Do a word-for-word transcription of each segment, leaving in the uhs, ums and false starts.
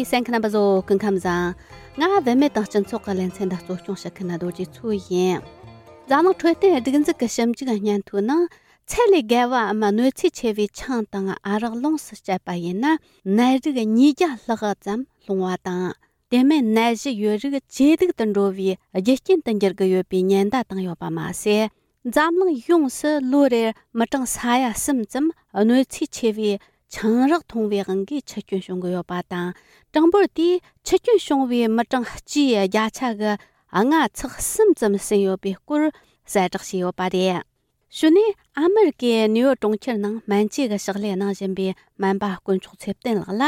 གསན་མཁན་རྣམ་པ་ཚོ་སྐུ་ཁམས་བཟང་། ང་བུད་མེད་དང་སྤྱི་ཚོགས་ཀྱི་ལེ་ཚན་འདི་གཙོ་སྐྱོང་བྱེད་མཁན་རྡོ་རྗེ་མཚོ་ཡིན། འཛམ་གླིང་འཕྲོད་བསྟེན་སྒྲིག་འཛུགས་ཀྱི་ཞིབ་འཇུག་སྙན་ཐོའི་ནང་ཚད་ལས་བརྒལ་བའམ་གནོད་འཚེ་ཆེ་བའི་ཆང་དང་ཨ་རག་ལོངས་སུ་སྤྱད་པ་ཡིན་ན་ནད་རིགས་ཉིས་བརྒྱ་ལྷག་ཙམ་སློང་བ་དང་། དེ་མིན་ནད་གཞི་ཡོད་རིགས་ཇེ་སྡུག་ཏུ་འགྲོ་བའི་རྒྱུ་རྐྱེན་དུ་འགྱུར་གྱི་ཡོད་པའི་ཉེན་བརྡ་བཏང་ཡོད་པ་མ་ཟད། འཛམ་གླིང་ཡོངས་སུ་ལོ་རེར་མི་གྲངས་ས་ཡ་གསུམ་ཙམ་གནོད་འཚེ་ཆེ་བའི་ཆང་རག་འཐུང་བའི་དབང་གིས་འཆི་སྐྱོན་བྱུང་གི་ཡོད་པ་དང་། གྲངས་འབོར་དེས་འཆི་སྐྱོན་བྱུང་བའི་མི་གྲངས་སྤྱིའི་བརྒྱ་ཆ་གི་ལྔ་ཚེག་གསུམ་ཙམ་ཟིན་ཡོད་པའི་སྐོར་གསལ་བསྒྲགས་བྱས་ཡོད་པ་རེད། གཞུག་ནས་ཨ་མེ་རི་ཀའི་ནེའུ་ཡོག་གྲོང་ཁྱེར་ནང་སྨན་བཅོས་ཀྱི་ཕྱག་ལས་གནང་བཞིན་པའི་སྨན་པ་དཀོན་མཆོག་ཚེ་བརྟན་ལགས་ལ་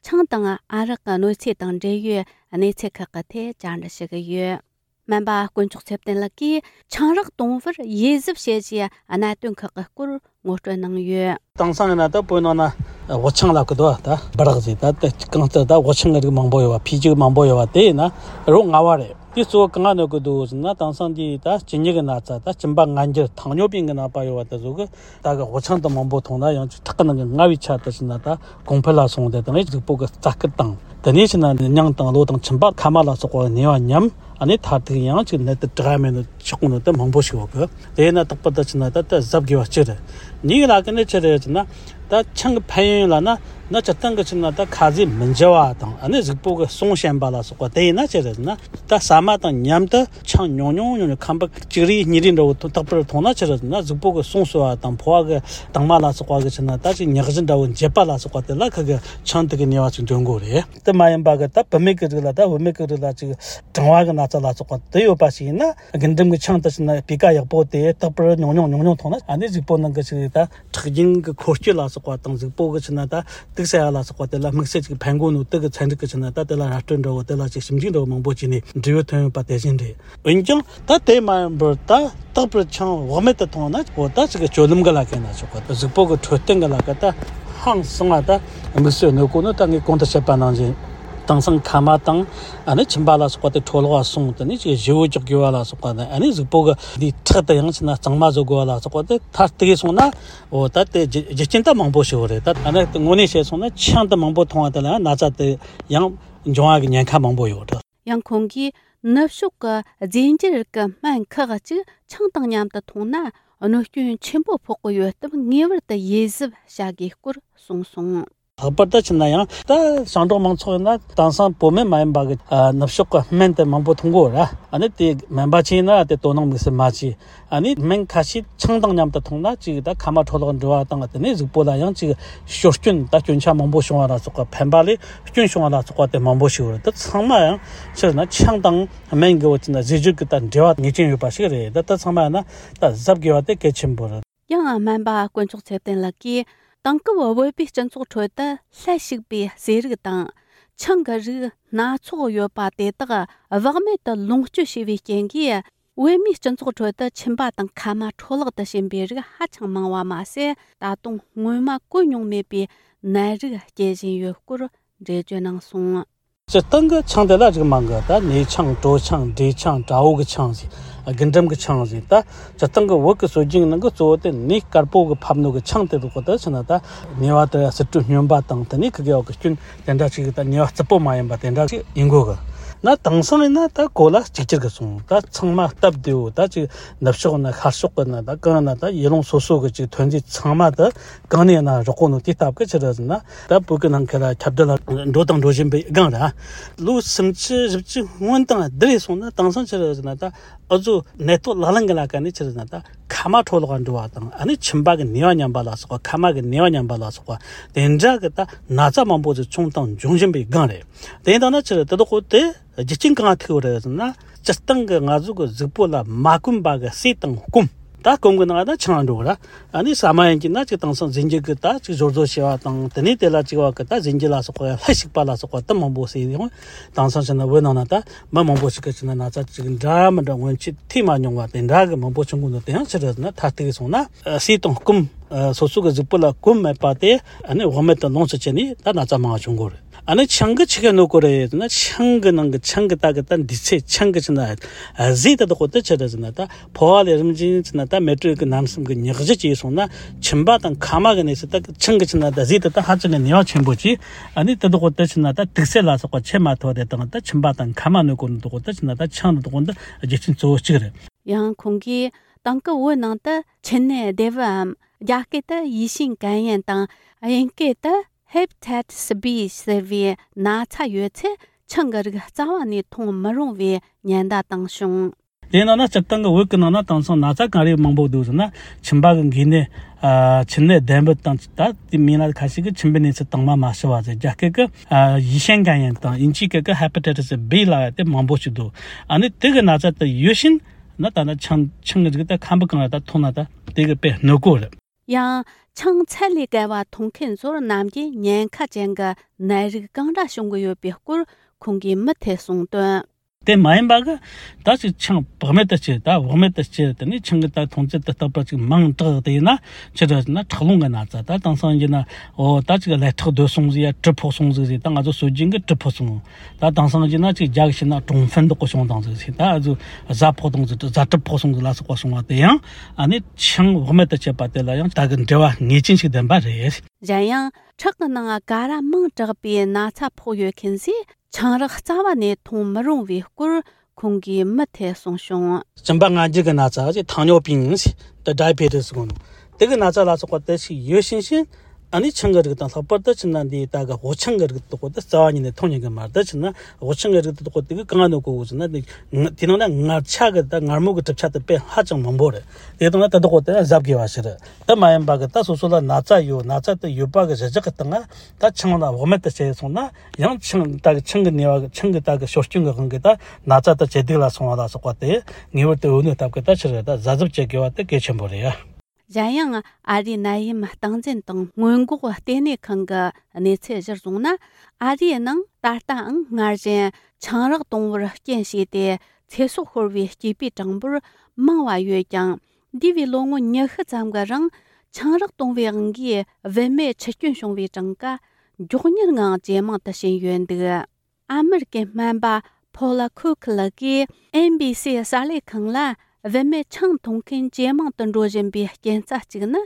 ཆང་དང་ཨ་རག་གི་གནོད་འཚེ་དང་འབྲེལ་ཡོད་གནས་ཚུལ་ཁག་གི་ཐད་བཅར་འདྲི་ཞུ་གི་ཡོད། སྨན་པ་དཀོན་མཆོག་ཚེ་བརྟན་ལགས་ཀྱིས་ཆང་རག་གཏོང་བར་དབྱེ་གཟབ་བྱེད་རྒྱུའི་གནད་དོན་ཁག་གི་སྐོར་ངོ་སྤྲོད་གནང་ཡོད། དེང་སང་ཡིན་ན་ད་བོད་ནང་ན་དབུ་ཆང་ལབ་ཀྱི་འདུག་ད་སྦི་རག་ཟེར། ད་ད་གང་ལྟར་ད་དབུ་ཆང་གི་རིགས་མང་པོ་ཡོད་པ། འཕེལ་རྒྱས་མང་པོ་ཡོད་པ་དེ་ཡིན་ན་རོ་མངར་བ་རེད། དེ་གཙོ་བོ་གང་ང་གནོད་ཀྱི་འདུག་ཟེར་ན། དེང་སང་འདི་ད་གཅིན་སྙི་གི་ན་ཚ། ད་གཅིན་པ་ངར་འགྱུར།糖尿病གི་ནད་པ་ཡོད་པ་དེ་ཚོ་གི་ད་གི་དབུ་ཆང་དེ་མང་པོ་འཐུང་ན་ཡང་ཅིག་ཁྲག་གི་ནང་གི་མངར་བའི་ཆ་དེ་ཟེར་ན་ད་གོང་འཕེལ་ལ་སོང་སྟེ། དང་གཟུགས་པོ་གི་རྩ་སྐུད་དང་། དེ་ནས་ཕྱིན་ན་སྙིང་དང་གློ་དང་མཆིན་པ་མཁལ་མ་ལ་སོགས་པ་ནད་པ་ཉམས། ཨ་ནི་མཐར་ཐུག་ཡང་ཅིག་ནད་དེ་དྲག་མེད་ནོ་ཆག་གོ་ནོ་དེ་མང་པོ་ཞིག་ཡོད་གི། དེས་ན་རྟག་པར་ད་ཕྱིན་ན་ད་ད་གཟབ་དགོས་པ་གཅིག་རེད། གཉིས་ལ་གི་ནི་ཅི་རེད་ཟེར་ན། ད་ཆང་གི་ཕན་ཡོན་ལ་ན་ན་སྤྱིར་བཏང་གི་ཕྱིན་ན་ད་ཁ་ཟས་མི་འཇམ་པ་དང་། ཨ་ནི་གཟུགས་པོ་གི་གསུང་ཞན་པ་ལ་སོགས་པ་དེ་ཡིན་ན་ཅི་རེད་ཟེར་ན། ད་ཟ་མ་དང་མཉམ་དུ་ཆང་ཉུང་ཉུང་ཉུང་ཉུང་ཁམ་བུ་གཅིག་རེ་གཉིས་རེ་འདྲ་བོ་རྟག་པར་འཐུང་ན་ཅི་རེད་ཟེར་ན། གཟུགས་པོ་གི་གསུང་གསོ་བ་དང་ཕོ་བ་གི་དྭངས་མ་ལ་སོགས་པ་གི་ཕྱིན་ན་ད་ཅིག་ཉག་གཞི་འདྲ་བོ་འབྱེད་པ་ལ་སོགས་པ་དེ་ལ་ཁ་གི་ཆང་དེ་གི་ནུས་པ་ཅིག་འདོན་དགོས་རེད། དེ་མ་ཡིན་པ་གི་ད་བུད་མེད་ཀྱི་རིགས་ལ། ད་བུད་མེད་ཀྱི་རིགས་ལ་ཅིག་གྲང་བ་གི་ན་ཚ་ལ་སོགས་པ་དེ་ཡོད་པ་ཞིག་ཡིན་ན། རྒུན་འབྲུམ་གྱི་ཆང་དེ་ཕྱིན་ན་སྤུས་ཀ་ཡག་པོ་དེ་རྟག་པར་ཉུང་ཉུང་ཉུང་ཉུང་འཐུང་ན། ཨ་ནི་གཟུགས་པོ་ནང་གི་ཅིག་ད་ཁྲག་རྒྱུན་གྱི་འཁོར་སྐྱོད་ལ་སོགས་པ་དང་། གཟུགས་པོ་གི་ཕྱིན་ན་ད་དུག་སེལ་ཡ་ལ་སོགས་པ་དེ་ལ་དམིགས་བསལ་ཅིག་ཕན་གོ་ནོ་དེ་གི་ཚན་རིག་གི་ཕྱིན་ན་ད་དེ་ལ་ར་སྤྲོད་འདྲ་བོ། དེ་ལ་ཅིག་ཞིབ་འཇུག་འདྲ་བོ་མང་པོ་བྱས་ནས་འབྲས་བུ་ཐོན་ཡོད་པ་དེ་བཞིན་རེད། འོན་ཀྱང་ད་དེ་མ་ཡིན་པར་ད་རྟག་པར་ཆང་བག་མེད་དུ་འཐུང་ན། འོ་ད་ཅིག་གི་སྤྱོད་ལམ་གི་ལ་ཁེལ་ན་ཆོག་གི། གཟུགས་པོ་གི་འཕྲོད་བསྟེན་གི་ལ་ཁེལ། ད་ཧང་སང་བ་ད་དམིགས་བསལ་གནོད་གོ་ནོ་ད་ངས་གོང་དུ་བཤད་པ་ནང་བཞིན། དེང་སང་མཁལ་མ་དང་། ཨ་ནི་མཆིན་པ་ལ་སོགས་པ་དེ་འཕྲོ་བརླག་སོང་། དེ་ནས་ཅིག་བཞི་བོ་ཅིག་རྒྱུ་བ་ལ་སོགས་པ་དང་། ཨ་ནི་གཟུགས་པོ་གི་འདི་ཁྲག་དེ་ཡང་ཕྱིན་ན་གཙང་མ་བཟོ་དགོས་བ་ལ་སོགས་པ་དེ་མཐར་གཏུགས་སོང་ན། འོ་ད་དེ་རྒྱུ་རྒྱུ་རྐྱེན་ད་མང་པོ་ཞིག་ཡོད་རེད། ད་ཨ་ནི་དངོས་གནས་བཤད་སོང་ན་ཆང་དེ་མང་པོ་འཐུང་བ་དེ་ལ་ཡང་ན་ཚ་དེ་ཡང་འབྱུང་བ་གི་ཉེན་ཁ་མང་པོ་ཡོད་རེད། ཡང་ཁོང་གིས་ནུབ་ཕྱོགས་ཀྱི་རྫས་འགྱུར་གྱི་སྨན་ཁག་ཅིག་ཆང་དང་མཉམ་དུ་འཐུང་ན་གནོད་སྐྱོན་ཆེན་པོ་ཕོག་གི་ཡོད་སྟབས། ངེས་པར་དུ་དབྱེ་གཟབ་བྱ་དགོས་སྐོར་གསུངས་སོང་། ལྷག་པར་དུ་ཕྱིན་ན་ཡང་ད་ཞིང་འབྲོག་མང་ཚོགས་ཡིན་ན་དེང་སང་བོད་སྨན་མ་ཡིན་པ་གི་ཨ་ནུབ་ཕྱོགས་ཀྱི་སྨན་དེ་མང་པོ་འཐུང་གོ་ར། ཨ་ནི་དེ་སྨན་པ་ཅིག་ཡིན་ན་དེ་དོ་སྣང་དམིགས་བསལ་མ་བྱེད། ཨ་ནི་སྨན་ཁ་ཤས་ཆང་དང་མཉམ་དུ་འཐུང་ན་ཅིག་ད་མཁལ་མ་འཕྲོ་བརླག་འགྲོ་བ་དང་། དེ་ནས་གཟུགས་པོ་ལ་ཡང་ཅིག་སྐྱོན་སྐྱོན་ད་སྐྱོན་ཆ་མང་པོ་བྱུང་བ་ལ་སོགས་པ། ཕན་པ་ལས་སྐྱོན་བྱུང་བ་ལ་སོགས་པ་དེ་མང་པོ་ཞིག་ཡོད་རེད། ད་ཚང་མ་ཡང་ཕྱིར་ན་ཆང་དང་སྨན་གི་བོ་ཅིག་ན་ཟས་བཅུད་ཀྱི་ད་འབྲེལ་བ་ངེས་ཅན་ཡོད་པ་ཞིག་རེད། ད་ད་ཚང་མ་ཡང་ན་ད་གཟབ་དགོས་པ་དེ་གལ་ཆེན་པོ་རེད། ཡང་སྨན་པ་དཀོན་མཆོག་ཚེ་བརྟན་ལགས་ཀྱིས་དེང་སྐབས་བོད་པའི་སྤྱི་ཚོགས་ཁྲོད་དུ་ལྷད་ཞུགས་པའི་ཟས་རིགས་དང་ཆང་གི་རིགས་སྣ་ཚོགས་ཡོད་པ་དེ་དག་བག་མེད་དུ་ལོངས་སྤྱོད་བྱས་པའི་རྐྱེན་གྱིས། བོད་མིའི་སྤྱི་ཚོགས་ཁྲོད་དུ་མཆིན་པ་དང་མཁལ་མ་འཕྲོ་བརླག་ཏུ་ཕྱིན་པའི་རིགས་ཧ་ཅང་མང་བ་མ་ཟད། ད་དུང་སྔོན་མ་གོ་མྱོང་མེད་པའི་ནད་རིགས་སྐྱེ་བཞིན་ཡོད་སྐོར་འགྲེལ་བརྗོད་གནང་སོང་། སྤྱིར་བཏང་གི་ཆང་དེ་ལ་རིགས་མང་གི། ད་ནས་ཆང་། གྲོ་ཆང་། འབྲས་ཆང་། དགྲ་བོ་གི་ཆང་ཟེར། རྒུན་འབྲུམ་གི་ཆང་ཟེར། ད་སྤྱིར་བཏང་གི་བོད་ཀྱི་སྲོལ་རྒྱུན་ནང་གི་གཙོ་བོ་དེ་ནས་དཀར་པོ་གི་ཕབ་ནོ་གི་ཆང་དེ་རུ་གོ་ད་ཕྱིན་ན་ད་ནས་པ་དེ་ཟུར་དྲུག་སྨྱོན་པ་དང་། དེ་ནས་ཁི་གེ་བ་གི་སྐྱོན་དེ་འདྲ་ཅིག་ད་ནས་པ་རྩུབ་པོ་མ་ཡིན་པ་དེ་འདྲ་ཅིག་ཡིན་དགོས་གི། ན་དེང་སང་ཡིན་ན་ད་གོ་ལ་གཅིག་གྱུར་གི་སོང་། ད་ཚང་མ་སྟབས་བདེ་བོ། ད་ཅིག་ནུབ་ཕྱོགས་ན་ཤར་ཕྱོགས་གི་ན། ད་གང་ན་ད་ཡུལ་ལུང་སོ་སོ་གི་ཅིག་ཐོན་རྫས་ཚང་མ་ད་གང་ནས་ན་རག་གོ་ནོ་དེ་སྟབས་གི་ཕྱིར་ཟེར་ན། ད་བོད་ཀྱི་ནང་ཁུལ་ལ་ཁྱབ་གདལ་ལ་འགྲོ་དང་འགྲོ་བཞིན་པའི་སྒང་ར། ལོ་སུམ་ཅུ་བཞི་བཅུ་སྔོན་དང་བསྡུར་སོང་ན་དེང་སང་ཕྱིར་ཟེར་ན། ད་ཨུ་ཚོ་ནད་ཐོག་ལག་ལེན་གི་ལ་ཀ་ནས་ཕྱིར་ཟེར་ན། ད་མཁལ་མ་འཕྲོ་བརླག་འགྲོ་བ་དང་། ཨ་ནི་མཆིན་པ་གི་ནུས་པ་ཉམས་པ་ལ་སོགས་པ། མཁལ་མ་གི་ནུས་པ་ཉམས་པ་ལ་སོགས་པ་དེ་འདྲ་གི་ད་ན་ཚ་མང་པོ་ཞིག་བྱུང་དང་འབྱུང་བཞིན་པའི་སྒང་རེད། དེ་ཡིན་ད་ན་ཕྱིར་དེ་དག་གོ་དེ་རྒྱུ་རྐྱེན་གང་ཐུག་རེད་ཟེར་ན། སྤྱིར་བཏང་གི་ང་ཚོ་གི་གཟུགས་པོ་ལ་མ་གོམས་པ་གི་ཟས་དང་སྐོམ། ད་སྐོམ་གི་ནང་ན་ཆང་འགྲོ་ར། ཨ་ནི་ཟ་མ་ཡིན་གྱི་ན་ཅིག་དེང་སང་རྫས་འགྱུར་གི་ད་ཅིག་སྦྱོར་བཟོ་བྱས་པ་དང་། དེ་ནས་དེ་ལ་ཅིག་བ་གི་ད་རྫས་འགྱུར་ལ་སོགས་པ་ལྷད་ཞུགས་པ་ལ་སོགས་པ་དེ་མང་པོ་ཟོས་ཡོང་། དེང་སང་ཕྱིན་ན་བོད་ནང་ན་ད་མི་མང་པོ་ཞིག་གི་ཕྱིན་ན་ན་ཚ་ཅིག་འདྲ་མི་འདྲ་སྔོན་ཆད་ཐོས་མ་མྱོང་བ་དེ་འདྲ་གི་མང་པོ་བྱུང་གི་འདུག་དེ་ཡང་ཕྱིར་ན་མཐར་གཏུགས་སོང་ན། ཟས་དང་སྐོམ། སོ་སོ་གི་གཟུགས་པོ་ལ་གོམས་མེད་པ་དེ་ཨ་ནི་བག་མེད་དུ་ལོངས་སུ་སྤྱད་ནས་ད་ན་ཚ་མང་བ་བྱུང་གི་རེད། ཨ་ནི་ཆང་གི་ཆི་གེ་ནོ་ཀོ་རེད་ཟེར་ན། ཆང་གི་ནང་གི་ཆང་གི་ད་གི་ད་འདི་ཚེ་ཆང་གི་ཆི་ན་ཟས་ད་དོ་ཁོ་ད་ཆི་རེད་ཟེར་ན། ད་ཕོ་བ་ལས་རིམ་བཞིན་ཆི་ན་ད་མེ་དྲོད་གི་རྣམ་གསུམ་གི་ཉག་གཞི་སྐྱེས་སོང་ན། མཆིན་པ་དང་མཁལ་མ་གི་གནས་སུ་ད་གི་ཆང་གི་ཆི་ན་ད་ཟས་ད་ད་ཧ་ཅང་གི་ནུས་པ་ཆེན་པོ་ཅིག་ཨ་ནི་ད་དོ་ཁོ་ད་ཆི་ན་ད་དུག་སེལ་ལ་སོགས་པ་ཆེ་མ་ཐོ་དེ་དང་ད་མཆིན་པ་དང་མཁལ་མ་ནོ་ཀོ་ནོ་དོ་ཁོ་ད་ཆི་ན་ད་ཆང་ད་དོ་ཁོ་ད་རྒྱུ་རྐྱེན་གཙོ་བོ་གཅིག་རེད། ཡང་ཁོང་གིས་ཏང་ཀི་བོད་ནང་དུ་མཆིན་ནད་སྡེ་བའམ་རྒྱ་སྐད་དུ་ཡིས་ཤིན་གན་ཡན་དང་དབྱིན་སྐད་དུ་Hepatitis B ཟེར་བའི་ན་ཚ་ཡོད་ཚེ་ཆང་གི་རིགས་རྩ་བ་ནས་འཐུང་མི་རུང་བའི་ཉེན་བརྡ་བཏང་བྱུང་། དེ་ནང་ན་སྤྱིར་བཏང་གི་བོད་ཀྱི་ནང་ན་དེང་སང་ན་ཚ་གང་རེ་མང་པོ་འདུག་ཟེར་ན། མཆིན་པ་གི་འགོས་ནད། ཨ། མཆིན་ནད་ལྡན་པ་དང་ད་དེ་མིན་ན་ཁ་ཤས་ཀྱི་མཆིན་པའི་གནས་ཚུལ་དྭངས་མ་མ་ཞི་བ་ཟེར། རྒྱ་སྐད་ཀྱི་ཨ་ཡིས་ཤན་གན་ཡན་དང་དབྱིན་ཇིའི་སྐད་ཀྱི་Hepatitis B ལབ་ཡ་དེ་མང་པོ་ཞིག་འདུག་ཨ་ནི་དེ་གི་ན་ཚ་དེ་ཡོད་བཞིན་ན་ད་ན་ཆང་ཆང་གི་རིགས་དེ་ཁམ་བུ་གང་ལ་ད་འཐུང་ན་ད་དེ་གི་དཔེ་གནོད་གོ་རེད། ཡང་ཆང་ཚད་ལས་བརྒལ་བ་འཐུང་མཁན་ཚོར་ནམ་རྒྱུན་ཉེན་ཁ་ཅན་གྱི་ནད་རིགས་གང་འདྲ་བྱུང་གི་ཡོད་པའི་སྐོར་ཁོང་གིས་མུ་མཐུད་གསུངས་དོན། དེ་མ་ཡིན་པ་གི་ད་ཅིག་ཆང་བག་མེད་དུ་སྤྱད། ད་བག་མེད་དུ་སྤྱད་དེ་ནས་ཆང་གི་ད་འཐུང་ཚད་དུ་རྟག་པར་ཅིག་མང་དྲགས་དེ་ཡིན་ན་ཅི་འདྲ་ཟེར་ན་ཁྲག་རླུང་གི་ན་ཚ། ད་དེང་སང་ཡིན་ན་འོ་ད་ཅིག་ཀླད་ཁྲག་རྡོལ་སོང་ཟིག་ཡ་གྲིབ་ཕོག་སོང་ཟིག་ཟེར། ད་ང་ཚོ་སྲོལ་རྒྱུན་གི་གྲིབ་ཕོག་སོང་། ད་དེང་སང་ཡིན་ན་ཅིག་རྒྱ་གི་བཤད་ན་གྲོང་ཧྥན་དོག་གི་བྱུང་དང་ཟིག་ཟེར། ད་ཨ་ཚོ་གཟའ་ཕོག་དང་ཟིག་གཟའ་གྲིབ་ཕོག་སོང་ཟིག་ལ་སོགས་པ་སོང་བ་དེ་ཡང་ཨ་ནི་ཆང་བག་མེད་དུ་སྤྱད་པ་དེ་ལ་ཡང་ད་གི་འབྲེལ་བ་ངེས་ཅན་ཞིག་ལྡན་པ་རེད། གཞན་ཡང་ཁྲག་གི་ནང་ཀ་ར་མང་དྲགས་པའི་ན་ཚ་ཕོག་ཡོད་མཁན་ཚོས་ཆང་རག་རྩ་བ་ནས་འཐུང་མི་རུང་བའི་སྐོར་ཁོང་གིས་མུ་མཐུད་གསུངས་བྱུང་། གཅིན་པ་ངར་འགྱུར་གྱི་ན་ཚ་ཟེར།糖尿病ཟེར། ད་ཌའི་བེ་ཏི་སི་ཟེར་གོ་ནོ། དེ་གི་ན་ཚ་ལ་སོགས་པ་དེ་ཞིག་ཡོད་བཞིན་བཞིན་ཨ་ནི་ཆང་གི་རིགས་དང་ལྷག་པར་དུ་ཆི་ན་འདི་ད་གི་དབུགས་ཆང་གི་རིགས་དེ་དག་དེ་རྩ་བ་ཉིད་ནས་འཐུང་ཉན་གི་མ་རེད། ད་ཆི་ན་དབུགས་ཆང་གི་རིགས་དེ་དག་དེ་གི་གང་ནོ་གོ་གོ་ཟེར་ན། དེ་དེ་ནང་ན་མངར་ཆ་གི་ད་མངར་མོ་གི་གྲུབ་ཆ་དེ་དཔེ་ཧ་ཅང་མང་པོ་རེད། དེ་དང་ན་དེ་དག་དེ་གཟབ་དགོས་པ་ཞིག་རེད། དེ་མ་ཡིན་པ་གི་ད་སོ་སོ་ལ་ན་ཚ་ཡོད། ན་ཚ་དེ་ཡོད་པ་གི་གཞི་བཞག་གི་སྟེང་ང་ད་ཆང་ལ་བག་མེད་དུ་བྱས་སོང་ན་ཡང་ཆང་ད་གི་ཆང་གི་ནུས་པ་གི་ཆང་གི་ད་གི་ཞོར་སྐྱོན་གི་དབང་གིས་ད་ན་ཚ་དེ་ཇེ་སྡུག་ལ་སོང་བ་ལ་སོགས་པ་དེ་ངེས་པར་དུ་འོས་གནོད་སྟབས་གི་ད་ཕྱིར་ད་གཟབ་གཟབ་བྱེད་དགོས་པ་དེ་གལ་ཆེན་པོ་རེད། གཞན་ཡང་ཨ་རིའི་ནད་ཡམས་སྟངས་འཛིན་དང་སྔོན་འགོག་ལྟེ་གནས་ཁང་གི་གནས་ཚུལ་གཞིར་བཟུང་ན། ཨ་རིའི་ནང་ད་ལྟའང་སྔར་བཞིན་ཆང་རག་གཏོང་བར་རྐྱེན་བྱས་ཏེ་ཚེ་སྲོག་ཤོར་བའི་སྐྱེས་པའི་གྲངས་འབོར་མང་བ་ཡོད་ཀྱང་། འདས་པའི་ལོ་ངོ་ཉི་ཤུ་ཙམ་གྱི་རིང་ཆང་རག་གཏོང་བའི་དབང་གིས་བུད་མེད་འཆི་སྐྱོན་བྱུང་བའི་གྲངས་ཀ་མགྱོགས་མྱུར་ངང་ཇེ་མང་དུ་ཕྱིན་ཡོད་འདུག་ཨ་མེ་རི་ཀའི་སྨན་པ་ཕོ་ལ་ཁུ་ཁི་ལགས་ཀྱིས་ཨེན་བྷི་སི་གསར་ལས་ཁང་ལ། བུད་མེད་ཆང་འཐུང་མཁན་ཇེ་མང་དུ་འགྲོ་བཞིན་པའི་རྐྱེན་རྩ་གཅིག་ནི།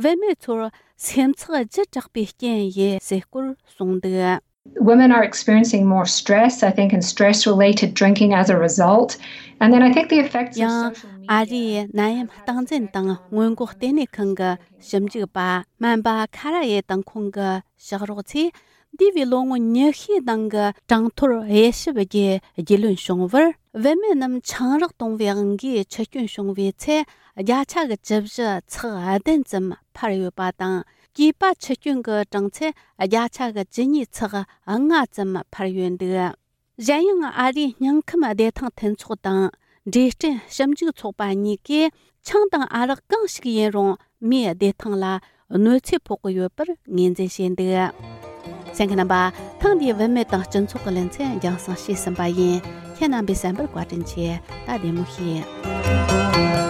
བུད་མེད་ཚོར་སེམས་ཚེགས་ལྗིད་དྲགས་པའི་རྐྱེན་ཡིན་ཟེར་སྐོར་གསུངས་འདུག Women are experiencing more stress, I think, and stress related drinking as a result. And then I think the effects of social media. ཡང་ཨ་རིའི་ནད་ཡམས་སྟངས་འཛིན་དང་སྔོན་འགོག་ལྟེ་གནས་ཁང་གི་ཞིབ་འཇུག་པ་སྨན་པ་ཁ་ར་ཡེ་དང་ཁོང་གི་ཕྱག་རོགས་ཚོས། འདས་པའི་ལོ་ངོ་ཉི་ཤུའི་ནང་གི་གྲངས་ཐོར་དབྱེ་ཞིབ་བརྒྱུད་རྒྱུས་ལོན་བྱུང་བར། བུད་མེད་རྣམས་ཆང་རག་གཏོང་བའི་དབང་གིས་འཆི་སྐྱོན་བྱུང་བའི་ཚེ། བརྒྱ་ཆ་གི་བཅུ་བཞི་ཚེག་བདུན་ཙམ་འཕར་ཡོད་པ་དང་། སྐྱེས་པ་འཆི་སྐྱོན་གྱི་གྲངས་ཚད་བརྒྱ་ཆ་གི་བཅུ་གཉིས་ཚེག་ལྔ་ཙམ་འཕར་ཡོད་འདུག་གཞན་ཡང་ཨ་རིའི་སྨན་ཁབ་བདེ་ཐང་མཐུན་ཚོགས་དང་འབྲས་སྐྲན་ཞིབ་འཇུག་ཚོགས་པ་གཉིས་ཀས། ཆང་དང་ཨ་རག་གང་ཞིག་ཡིན་རུང་མིའི་བདེ་ཐང་ལ་གནོད་འཚེ་ཕོག་གི་ཡོད་པར་ངོས་འཛིན་བྱས་འདུག་གསན་མཁན་རྣམ་པ། ཐེངས་འདིའི་བུད་མེད་དང་སྤྱི་ཚོགས་ཀྱི་ལེ་ཚན་རྒྱང་སྲིང་བྱས་ཟིན་པ་ཡིན། ཁྱེད་རྣམ་པས་གསན་པར་བཀའ་དྲིན་ཆེ། ད་བདེ་མོ་བྱོས།